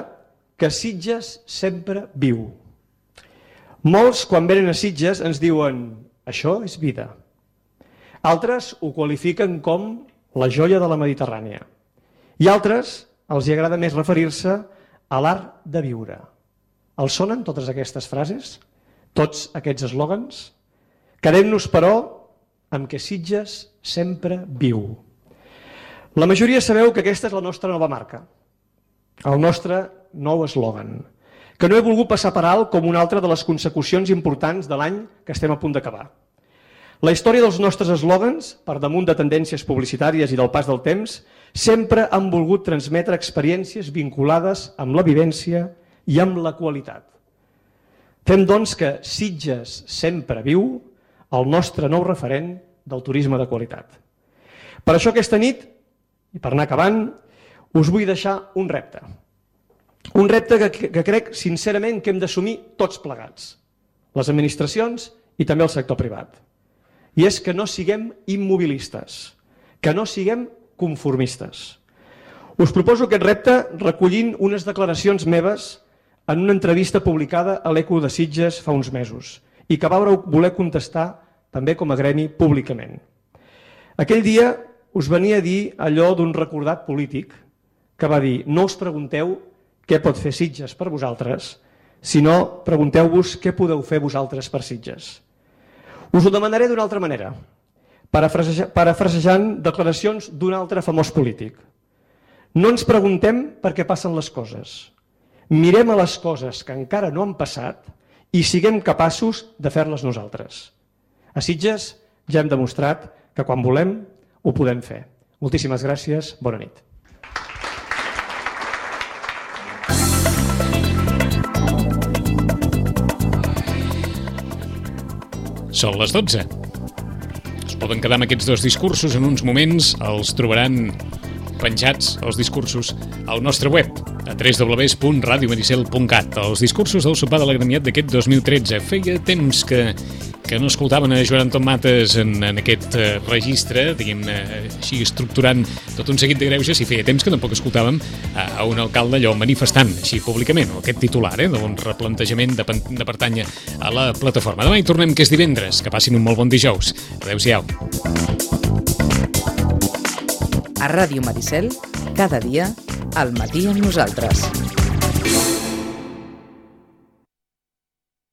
que Sitges sempre viu. Molts, quan venen a Sitges, ens diuen això és vida. Altres ho qualifiquen com la joia de la Mediterrània. I altres els agrada més referir-se a l'art de viure. Els sonen totes aquestes frases? Tots aquests eslògans? Quedem-nos, però, amb que Sitges sempre viu. La majoria sabeu que aquesta és la nostra nova marca, el nostre nou eslògan, que no he volgut passar per alt com una altra de les consecucions importants de l'any que estem a punt d'acabar. La història dels nostres eslògans, per damunt de tendències publicitàries i del pas del temps, sempre han volgut transmetre experiències vinculades amb la vivència i amb la qualitat. Fem, doncs, que Sitges sempre viu, el nostre nou referent del turisme de qualitat. Per això aquesta nit, i per anar acabant, us vull deixar un repte. Un repte que crec sincerament que hem d'assumir tots plegats, les administracions i també el sector privat. I és que no siguem immobilistes, que no siguem conformistes. Us proposo aquest repte recollint unes declaracions meves en una entrevista publicada a l'Eco de Sitges fa uns mesos i que va voler contestar també com a gremi públicament. Aquell dia us venia a dir allò d'un recordat polític que va dir: no us pregunteu què pot fer Sitges per vosaltres, sinó pregunteu-vos què podeu fer vosaltres per Sitges. Us ho demanaré d'una altra manera, parafrasejant declaracions d'un altre famós polític. No ens preguntem per què passen les coses. Mirem a les coses que encara no han passat i siguem capaços de fer-les nosaltres. A Sitges ja hem demostrat que quan volem ho podem fer. Moltíssimes gràcies, bona nit. Són les 12. Es poden quedar amb aquests dos discursos en uns moments, els trobaran penjats, els discursos, al nostre web, a www.radiomaricel.cat. Els discursos del sopar de l'agremiat d'aquest 2013. Feia temps que no escoltaven a Joan Anton Mates en aquest registre, diguem-ne, així estructurant tot un seguit de greuges, i feia temps que tampoc escoltàvem a un alcalde allò manifestant, així públicament, o aquest titular, d'un replantejament de pertànyer a la plataforma. Demà hi tornem, que és divendres. Que passin un molt bon dijous. Adéu-siau. A Ràdio Maricel, cada dia, al matí amb nosaltres.